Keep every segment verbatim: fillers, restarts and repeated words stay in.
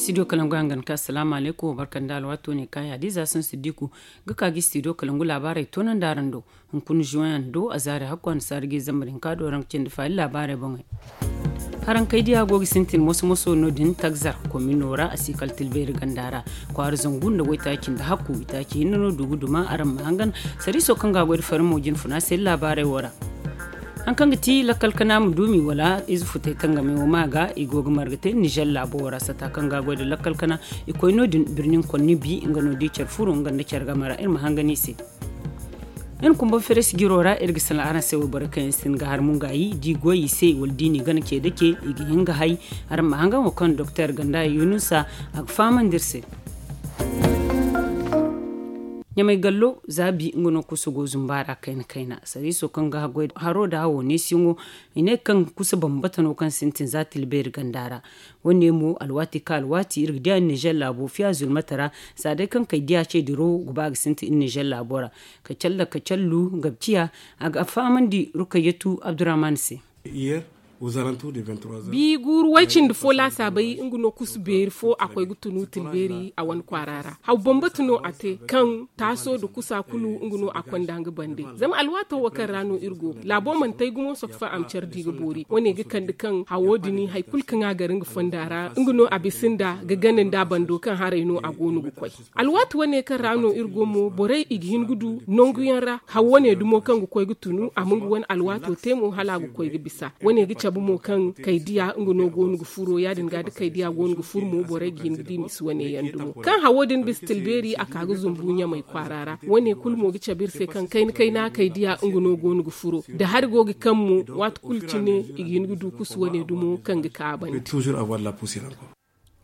Studio kalangu yaŋ ga ni ka asalaamu alaykum, barka nda alwaato ne kaayi hadiza sansu diku ga ka ga studio kalangu laabaarey toonandi araŋ do. Hunkuna zuwan yaŋ do a zaari hakku a na saari ga i zambar hinka do araŋ ga cindi faali laabaarey boŋey. Haraŋ kay diya go ga sintin moso moso no- din tagzar komino ra a si kala tilbeeri ganda ra. Kwaara zangu nda waytaaci nda hakku itaaci hinne no du ga duma araŋ ma hangan. Sariiso kaŋ ga a goy nda farmo jine funa se laabaarey wo ra. Haŋ kaŋ ga ti lakkal kana ma duumi wala ize futay tangamey wo ma ga i go ga marga te nizer laabo wo ra sata kaŋ ga a goy nda lakkal kana. I koy no- din birnin konni bi nga no di care furo nga nda care game ra iri ma hangan i se. Iri kumba feres jiro ra iri ga sala araŋ se wayboro kaŋ yaŋ sinda ga har mungaayi da i goy i se wala da i n'i gana ce da ce i ga hin ga hay. Araŋ ma hangan wo kaŋ doktor ganda yunusa a ga fahamandi iri se. Ɲamay gallo zaabi nga no kusa go zumba ra kayna kayna sariiso kaŋ ga haro nda hawo neesiyaŋo. I ne kaŋ kusa bambata no kaŋ sintin za tilbeeri ganda ra. Wo- ne mo alwaati ka alwaati iri ga diya nizer laabo fiya zulmata ra. Za day kaŋ kay diya ce diro ga ba ga sintin iri nizer laabo ra. Kacalla kacallu ga ciya a ga fahamandi rukayyatu abdurrahman se. Bi guuru way cindi fo laasaabay nga no kusu beeri fo a koy ga tunu tilbeeri a wane kwaara ra haw bambata no a te kaŋ taaso nda kusa kulu nga no a konda nga bande. Zama alwaato wo kaŋ ra no iri go laabo mana tay gumo sokfa a ma care di ga boori wane ga kande kaŋ hawo din hari kulu kaŋ a gar nga fonda ra nga no a bisa nda ga gana nda a bando kaŋ haray no a go no ga koy. Alwaati wane kaŋ ra no iri go mo borey i ga hin ga du nangu yaŋ ra haw wane dumo kaŋ ga koy ga tunu a ma nga wane alwaato te mo hala a ga koy ga bisa. Wane ga cabe mo kaŋ kaydiya nga no go no ga furo ya- din ga da kaydiya go no ga furo mo borey ga hin ga di misi wane yaŋ dumo kaŋ hawo din bisa tilbeeri a ka ga zumbu ɲamay kwaara ra. Wane kulu mo ga cabe iri se kaŋ kayna kayna kaydiya nga no go no ga furo da hari go ga kaŋ mo waati kulu cine i ga hin ga du kusu wane dumo kaŋ ga ka a bande.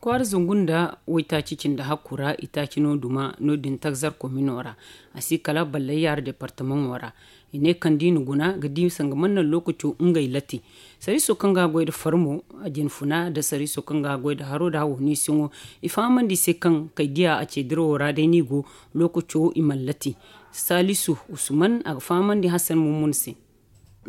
Kwaara zangu nda waytaaci cindi hakku ra itaaci no duma no- din tagzar komino ra. A si kala ballayyaara departamaŋo ra. I ne kaŋ da i na guna ga di sanga mana naŋ lookaco ngey lati. Sariiso kaŋ ga a goy nda farmo a jine funa nda sariiso kaŋ ga a goy nda haro nda hawo neesiyaŋo. I fahamandi i se kaŋ kay diya a ce dirawo ra day no i go. Lookaco i mana lati. Saalisu usman a ga fahamandi hasan mummuna se.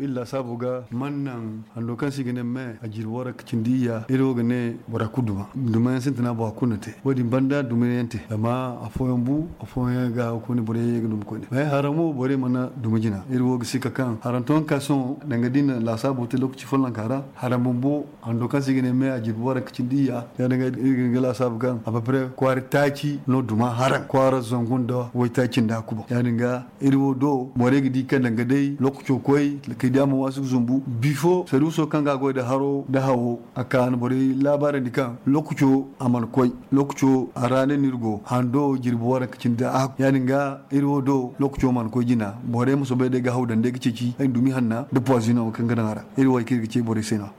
Iri laasaabu ga mana naŋ hando kaŋ se i ga ne me a jirbi wara ga cindi iyya iri wo ga ne bora kulu duma duma yaŋ sintina bora kulu na te wo- din banda duma yaŋ te zama afooyaŋ bu afooyaŋ ga a ga koyne bora yaŋ ye ga duma koyne me hara mo borey mana duma jina iri wo ga si ka kaŋ haranto yaŋ ka sohõ danga da i na laasaabu te lookaci follonka ra. Hara bumbo hando kaŋ se i ga ne me a jirbi wara ga cindi iyya ya- din ga iri ga hin ga laasaabu kaŋ a papre kwaara taaci no duma haraŋ kwaara zangu nda waytaaci nda kuba ya- din ga iri wo do borey ga di kaŋ danga day lookaco koy kay da a ma waasu ga zumbu bifo saruuso kaŋ ga a goy nda haro nda hawo a ka na borey laabaarandi kaŋ lookaco a mana koy. Lookaco a ra ne no iri go hando jirbi waranka cindi da a ya- din ga iri wo do lookaco mana koy jina borey ma soobay day ga haw daŋ day ga ceeci ay dumi hanna nda puwazino kaŋ ga daŋ a ra. Iri wo hari kaŋ iri ga ce borey se no-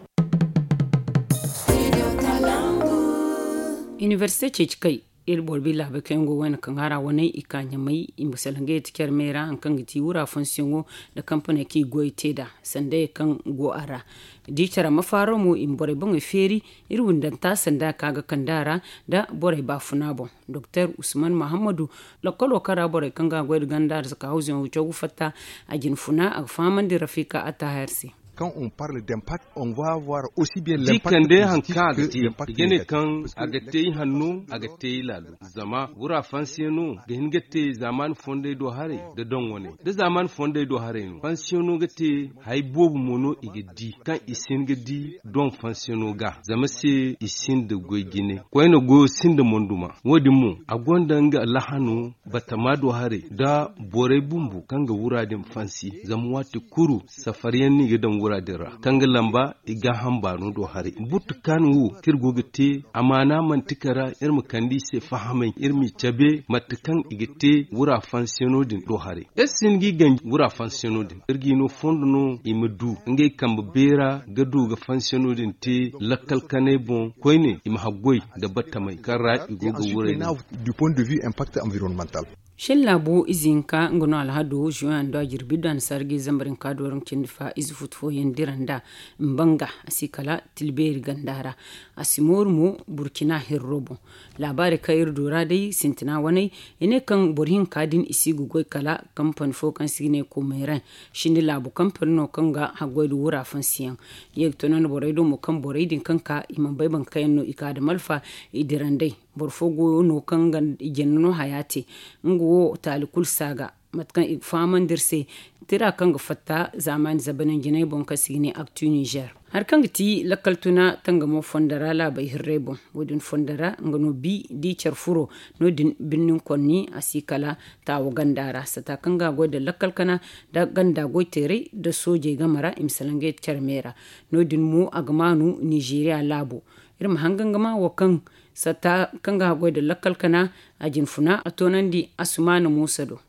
inibersite ceeci kay iri boro bi laabay kaŋ yaŋ go wayna kaŋ a ra wane i ka ɲamay i ma salaŋ ga yeti care me ra hari kaŋ ga ti wura fonsiyoŋo nda kampaney kaŋ i goy te nd'a sandayey kaŋ go a ra. Da i care a ma faaro mo i ma borey boŋey feeri iri windanta sanda ka ga kande a ra nda borey baafuna boŋ. Doktor usman mahammadu lakkolo kaŋ ra borey kaŋ ga a goy nda ganda ra zaka hawzuyaŋo caw ga fatta a jine funa a ga fahamandi rafika attahar se. Kaŋ on parle d'impact on va voir aussi bien l'impact positif que l'impact négatif. Di kande hari kaŋ a ga te i hanno a ga te i laalo zama wura fansiyaŋo ga hin ga te zaamaani fondey do haray nda doŋ wane nda zaamaani fondey do haray no fansiyaŋo ga te hari boobo mo no i ga di kaŋ i si hin ga di doŋ fansiyaŋo ga zama se i sinda goy jine koyne goyo sinda monduma. Wo- din mo a gonda nga lahano batama do haray nda borey bumbo kaŋ ga wura din fansi zama waati kulu safariyaŋ no i ga daŋ wura din ra kaŋ ga lamba i gaaham baano do haray. Butu kaani wo kaŋ iri go ga te amaana manti kala iri ma kande i se fahamay iri m'i cabe mate kaŋ i ga te wura fansiyaŋo din do haray. Iri si hin ga i ganji wura fansiyaŋo din iri ga i no fondo no i ma du ngey kambe beera ga du ga fansiyaŋo din te lakkal kanay boŋ koyne i ma haggoy nda battamey kaŋ ra i go ga wuray din. Du point de vue impact environnemental. Shin laabu ize hinka nga no alhado juwan do a jirbi da annasaara ga ize zambar hinka dooraŋ cindi fa ize futu fooyaŋ dira nd'a. Mbanga a si kala tilbeeri ganda ra. A si mooru mo burkina hirro boŋ. Laabaari kaŋ iri du ra day sintina waney i ne kaŋ boro hinka din i si ga goy kala kampani fo kaŋ se i ga ne komeeraŋ. Sindi laabu kampani no kaŋ ga haggoy nda wura fansiyaŋ. Ye ga toonandi borey do mo kaŋ borey din kaŋ ka i mana bay boro kaŋ yaŋ no i ka nda malfa i dira nd'ey. Boro fo go no kaŋ ga i jina no haya te. Nga wo taali kulu si a ga mate kaŋ i ga fahamandi iri se tira kaŋ ga fatta zaamaani zabananjinay boŋ kaŋ se i ga ne aktu nizer. Hari kaŋ ga ti lakkal tuna tangamo fondo ra laabey hirrey boŋ. Wo- din fondo ra nga no bi da i care furo no- din birnin konni a si kala taawo ganda ra sata kaŋ ga a goy nda lakkal kana nda ganda goy teeray nda soojey game ra i ma salaŋ ga yadda care me ra. No- din mo a ga maanu nizeeriya laabo. Iri ma hangan ga ma wo kaŋ sata kaŋ ga haggoy nda lakkal kana a jinfuna a toonandi asumaana muusa do.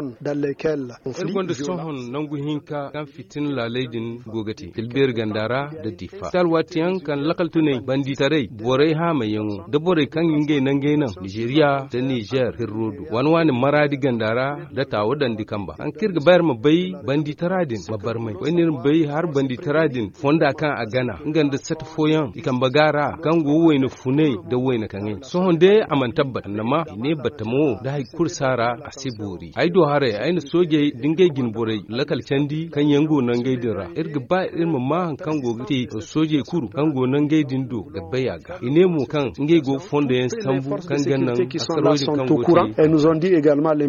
Iri gonda sohõ nangu hinka kaŋ fitina laaley din go ga te tilbeeri ganda ra nda difa si alwaati yaŋ kaŋ lakkal tunay banditaray borey haamayyaŋo nda borey kaŋ ngey nangey naŋ nizeeriya nda nizer hirro do waani waani maraadi ganda ra nda taawo dandi kamba haŋ kaŋ iri ga ba iri ma bay banditara din ma barmay wayne iri ma bay hari banditara din fonda kaŋ a gana nga nda sata fooyaŋ i kambe ga ra kaŋ go wayna funay nda wayna kaŋay sohõ day a mana tabbat annama i ne battamo nda hari kulu si a ra a si boori ay do haray ay na soojey nda ngey jine borey lakkal candi kaŋ yaŋ go nangey din ra iri ga ba iri ma ma hari kaŋ go ga te soojey kulu kaŋ go nangey din do ga bay a ga i ne mo kaŋ ngey go ga fondo yaŋ sambu kaŋ ga naŋ a sarwey din kaŋ go ga te.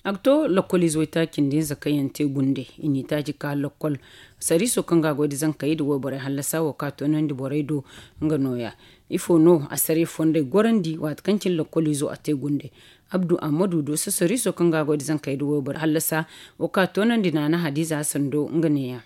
A ga to lakkoliize waytaaci nda nza kaŋ yaŋ te gunde i n'i taaci ka lakkol sariiso kaŋ ga a goy nda zankey nda wayborey hallasa wo kaŋ a toonandi borey do. Nga nooya ifo no assaray fondey gorandi waati kaŋ cine lakkoliizo a te gunde. Abdu ammadu do sasariiso kaŋ ga a goy nda zankey nda wayborey hallasa wo kaŋ a toonandi naana hadiiza sando nga neeya.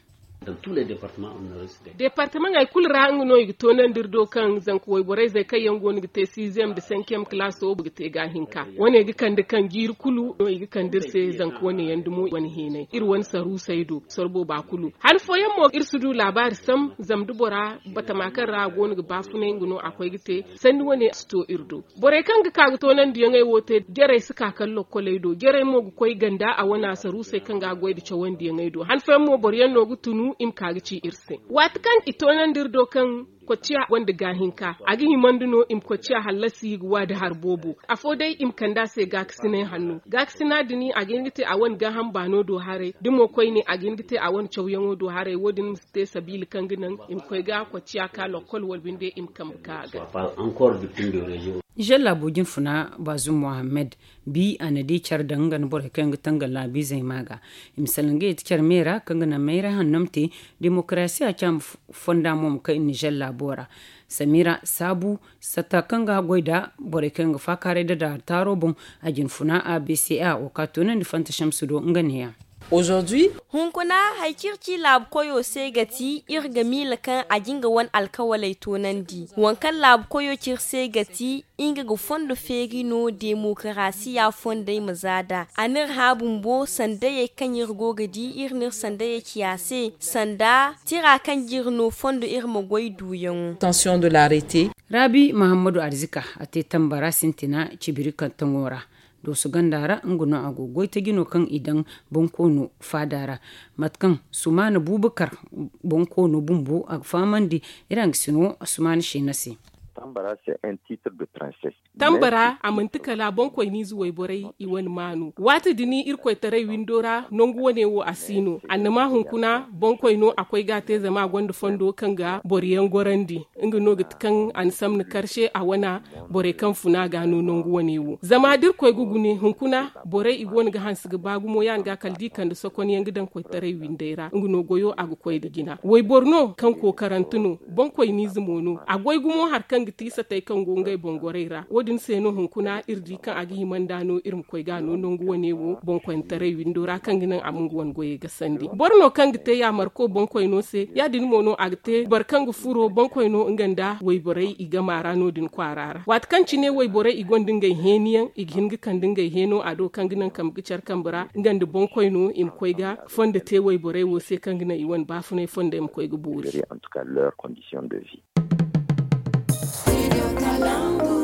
Deepartamaŋey kulu ra nga no i ga toonandi iri do kaŋ zanka wayborey zey kaŋ yaŋ go no ga te siiziyem nda senkiyem kalaaso ga te ga a hinka wane ga kande kaŋ jiiri kulu no i ga kande iri se zanka wane yaŋ dumo wane heenay iri wane saruusey do soro booba kulu. Han fooyaŋ mo iri si du laabaari sam zama da bora batama kaŋ ra a go no ga baafunay nga no a koy ga te sanni wane si to iri do. Borey kaŋ ga ka ga toonandiyaŋey wo te jarey si ka kala lokkoley do jarey mo ga koy ganda a wana saruusey kaŋ ga a goy nda cawandiyaŋey do han fooyaŋ mo boro yaŋ no ga tunu i ma ka ga ci iri se. Waati kaŋ i toonandi iri do kaŋ kocciya gonda gaahinka a ga himandi no i ma kocciya hallasi ga wa nda hari boobo afo day i ma kande a se gaakasinay hanno gaakasina din a ga hin ga te a wane gaaham baano do haray da mo koyne a ga hin ga te a wane cawyaŋo do haray wo- din ma si te sabiila kaŋ ga naŋ i ma koy ga kocciya ka lokkol wala binde i ma kambe ka a ga. Nizer laabo jinfuna baazum mohammed bi a na di care daŋ nga nda borey kaŋ yaŋ ga tangam laabiizey ma ga i ma salaŋ ga yeti care me ra kaŋ ga naŋ mayray hanno ma te demokarasiya caama fonda mo ma kay nizer laabo ra. Samira saabu satta kaŋ ga goy nda borey kaŋ yaŋ ga faakaaray nda daara taaro boŋ a jinfuna a b c a wo ka toonandi fanta shamsu do nga neeya. Hunkuna hari kaŋ iri ci laabu koyo se ga ti iri ga miila kaŋ a ga nga wane alkawaley toonandi waŋ kaŋ laabu koyo ci iri se ga ti nga ga fondo feeri no demokarasiya fondey ma za nd'a a n'iri hã bumbo sandayey kaŋ iri go ga di iri n'iri sandayey ci a se sanda tira kaŋ ga iri no fondo iri ma goy duuyaŋo. Raabi mahammadu arzika a te tambara sintina cibiri kaŋ taŋo ra dooso ganda ra nga no a go ga goy taji no kaŋ i daŋ bonkoono faada ra. Mate kaŋ sumaana buubakar bonkoono bumbo a ga fahamandi iri hangasino sumaana sheena se. Tambara a manti kala boŋkoyniize wayborey i wane maanu waati din irkoytaray windo ra nangu wane wo a si no annama hunkuna boŋkoy no a koy ga a te zama a gonda fondo kaŋ ga boro yaŋ gorandi. Nga no ga ti kaŋ a na samna karse a wana borey kaŋ funa ga no nangu wane wo zama da irkoy ga gune hunkuna borey i go no ga hanse ga ba gumo ya- din ga kala da i kande sokon yaŋ ga daŋ koytaray windey ra nga no goyo a ga koy nda jina wayboro no kaŋ kookarante no boŋkoyniize mo no a goy gumo hari kaŋ ga ti satey kaŋ go ngey boŋ gorey ra wo- din se no hunkuna iri di kaŋ a ga hima nd'a no iri ma koy ga no nangu wane wo boŋkoyne taray windo ra kaŋ ga naŋ a ma nga wane goyey gasandi boro no kaŋ ga te yaamarko boŋkoyno se ya- din mo no a ga te boro kaŋ ga furo boŋkoyno nga nda wayborey i gama ra no- din kwaara ra waati kaŋ cine wayborey i gonda ngey heeni yaŋ i ga hin ga kande ngey heeno a do kaŋ ga naŋ kambe ga care kambe ra nga nda boŋkoyno i ma koy ga fondo te wayborey wo se kaŋ ga naŋ i wane baafunay fondey ma koy ga boori. Studio Kalangu.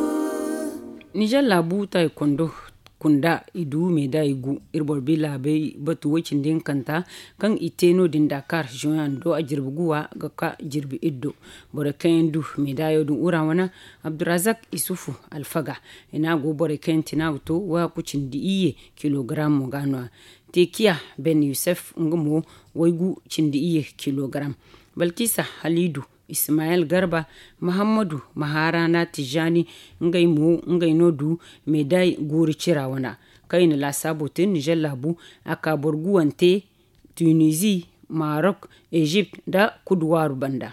Nizer laabu taaykondo kunda i du meeda i gu. Iri boro bi laabey batu woy cindi hinkanta kaŋ i te no- din dakar zoyan do a jirbi guwa ga ka jirbi iddo. Borey kaŋ yaŋ du meedayo din ura wane abdurazak isufu alfaga i ne a go borey kaŋ yaŋ tina ga to waya ku cindi iyye kilogaram mo ga no a teekiya ben yusuf nga mo waygu cindi iyye kilogaram. Balkisa halidu, ismayel garba, mahammadu maharana tijani, ngey mo ngey no du meeday guuri cira wana kaŋ i na laasaabo te nizer laabu a ka boro guwante, tunizi, marok, ezipt nda kuduwaaru banda.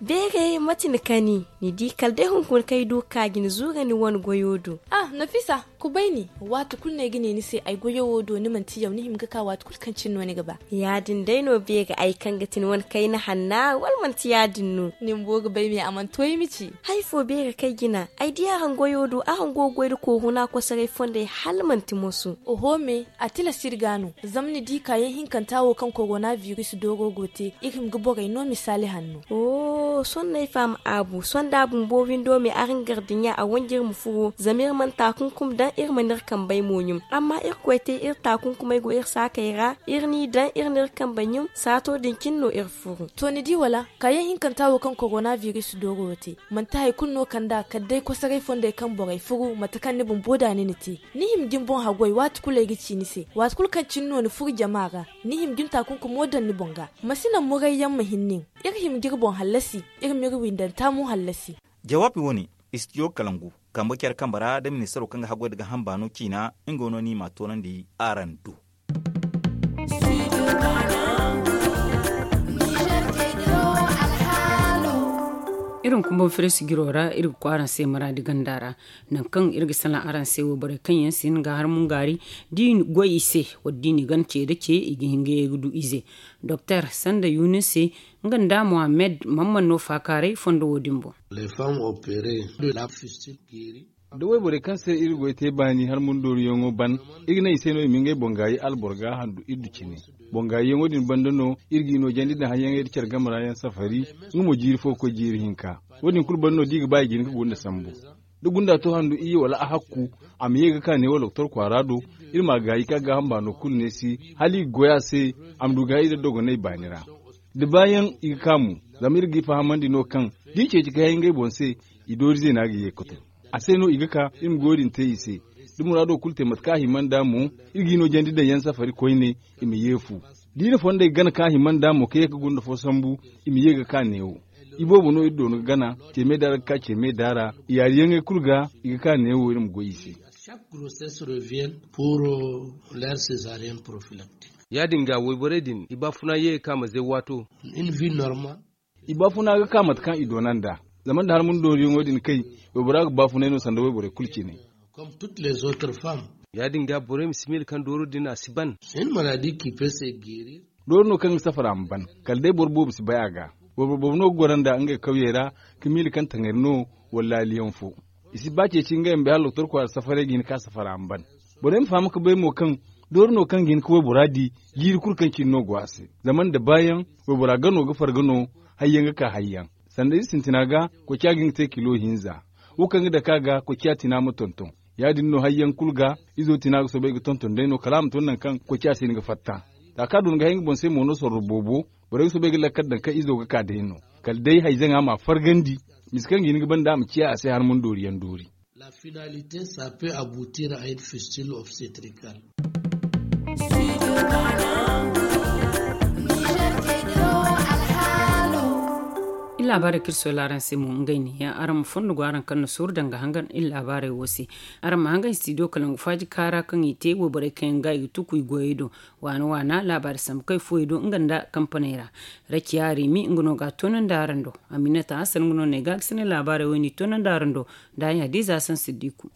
Beeray mate ni kani ni di kala day hunkuna kaŋ ay du ga ka ga ni zuura ni wane goyo do. Ah, nafisa, kubay ni. Waati kulu no ay ga ne ni se ay goyo wo do ni manti yaw ni hima ga ka waati kulu kaŋ cine no ni ga ba. Ya- din day no beeray ay kaŋ ga ti ni wane kayna hanna wala manti ya- din no? Ni bumbo ga bay me a mana to ay ma ci. Hari fo beeray kaŋ ay jina ay di araŋ goyo do araŋ go ga goy nda kooru no a kosoray fondey hala manti moso. Oho me, a tilas iri ga no. Zama ni di kaayaŋ hinkanta wo kaŋ korona biris dooro go te iri hima ga borey no misaali hanno. Sohõ no ay faham aabu sohõ da a bumbo windo me araŋ ga iri dinya a wanji iri ma furo zama iri mana taakunkum daŋ iri mana iri kambey mo ɲum. Amma iri koy te iri taakunkumey go iri saakey ra iri n'i daŋ iri n'iri kambey ɲum saato din cine no iri furo. To ni di wala? Kaayaŋ hinkanta wo kaŋ korona biris dooro te manti hari kulu no kand'a kala day kosoray fondey kaŋ borey furu mate kaŋ ni bumbo da ni na te. Ni hima ga ni boŋ haggoy waati kulu ay ga ci ni se waati kulu kaŋ cine no ni furu jama ra. Ni hima ga ni taakunkumo daŋ ni boŋ ga. Ma si naŋ murayyaŋ ma hin nin. Iri hima ga iri boŋ hallasi. Iri m'iri windanta mo hallasi. Jawaabi wo- ne, istidiyo kalangu kambe care kambe ra da ministaro kaŋ ga haggoy nda gaaham baano ciina nga no no i m'a toonandi araŋ do. Iri hunkuna boŋ firisi jiro ra iri ga koy araŋ se maraadi ganda ra. Nangu kaŋ iri ga salaŋ araŋ se wayborey kaŋ yaŋ si hin ga har mungaari da i goy i se wala da i n'i gana ce nda ce i ga hin ga ye ga du ize. Doktor sanda yunis se nga nda muhammed mamman no faakaaray fondo wo- din boŋ. Da wayborey kaŋ se iri goy te baani har mundooruyaŋo ban iri ga naŋ i se no i ma ngey boŋ gaayi alboro ga handu iri du cine. Boŋ gaayiyaŋo din banda no iri ga i no jandi nda hayyaŋey nda care game ra yaŋ safari. Nga mo jiiri fo ga koy jiiri hinka. Wo- din kulu banda no da i ga ba i ga hin ga gunda sambu. Da gunda to handu iyye wala a hakku a ma ye ga ka neewo doktor kwaara do. Iri m'a gaayi ka gaaham baano kulu neesi hala i ga goy a se. A ma du gaayi nda dogonay baani ra. Da baayaŋ i ga ka mo. Zama iri g'i fahamandi no kaŋ da i ceeci ga hay ngey boŋ se i doorize no a ga ye ga to. A se no i ga ka iri ma goyo din te i se. Da muraado kulu te mate kaŋ a hima nd'a mo iri g'i no jandi daŋ yaŋ safari koyne. I ma ye fu da i na fondey gana kaŋ a hima nd'a mo ka ye ga gunda fo sambu. I ma ye ga ka neewo. Iboobo no iri doona ga gana ceeme daara ga ka ceeme daara i yaariyaŋey kulu ga. I ga ka neewo iri ma goy i se. Chaque grossesse revient pour leur césarienne prophylactique. Ya- din ga wayborey din i baafuna ye ga ka ma zay waato. I baafuna ga ka mate kaŋ i doona nd'a. Zama nda har mundooruyaŋo din kay waybora ga baafunay no sanda wayborey kulu cine. Comme toutes les autres femmes. Ya- din ga borey ma si miila kaŋ dooro din a si ban. Dooro no kaŋ ga safara ma ban. Kala day boro boobo si bay a ga. Wayboro boobo no ga goro nd'a ngey kawyey ra ka miila kaŋ taŋari no wala laaliyaŋ fo. I si ba ceeci ngey ma bay hala doktor kwaara safaray ga hin ka safara ma ban. Borey ma faham ga bay mo kaŋ doori no kaŋ ga hin ga waybora di jiiri kulu kaŋ cine no go a se. Zama nda baayaŋ waybora gano ga farga no. Hayyaŋ ga ka hayyaŋ sanda iri sintina ga. Koociya ga hin ga te kilo hinza. Wo kaŋ ga dake a ga koociya tina ma tonton. Ya- din no hayyaŋ kulu ga. Izo tina ga soobay ga tonton day no kala a ma to nangu kaŋ koociya si hin ga fatta. Za kaŋ a doona ga hay nga boŋ se mo no sorro boobo. Borey ga soobay ga lakkal daŋ kaŋ izo ga ka day no. Kala day hayzaŋa m'a fargandi. Mise kaŋ ga hin ga banda a ma ciya a se har mundooriyaŋ doori. La finalité ça peut aboutir à une fistule obstétricale. Iri laabaarey kaŋ iri soolay araŋ se mo ngey ne yaŋ araŋ ma fondo go araŋ kaŋ na sooru danga hangan iri laabaarey wo se. Araŋ ma hangan studio kalangu faaji kaara kaŋ i te wayborey kaŋ yaŋ ga i ga tuku i goyey do. Waana waana laabaari sambu kay fuwey do nga nda kampaney ra. Rakiya rimi nga no ga a toonandi araŋ do. Aminata hasan nga no ne ga a ga sine laabaarey wo i n'i toonandi araŋ do. Nda a ɲa diiza sansiddiku.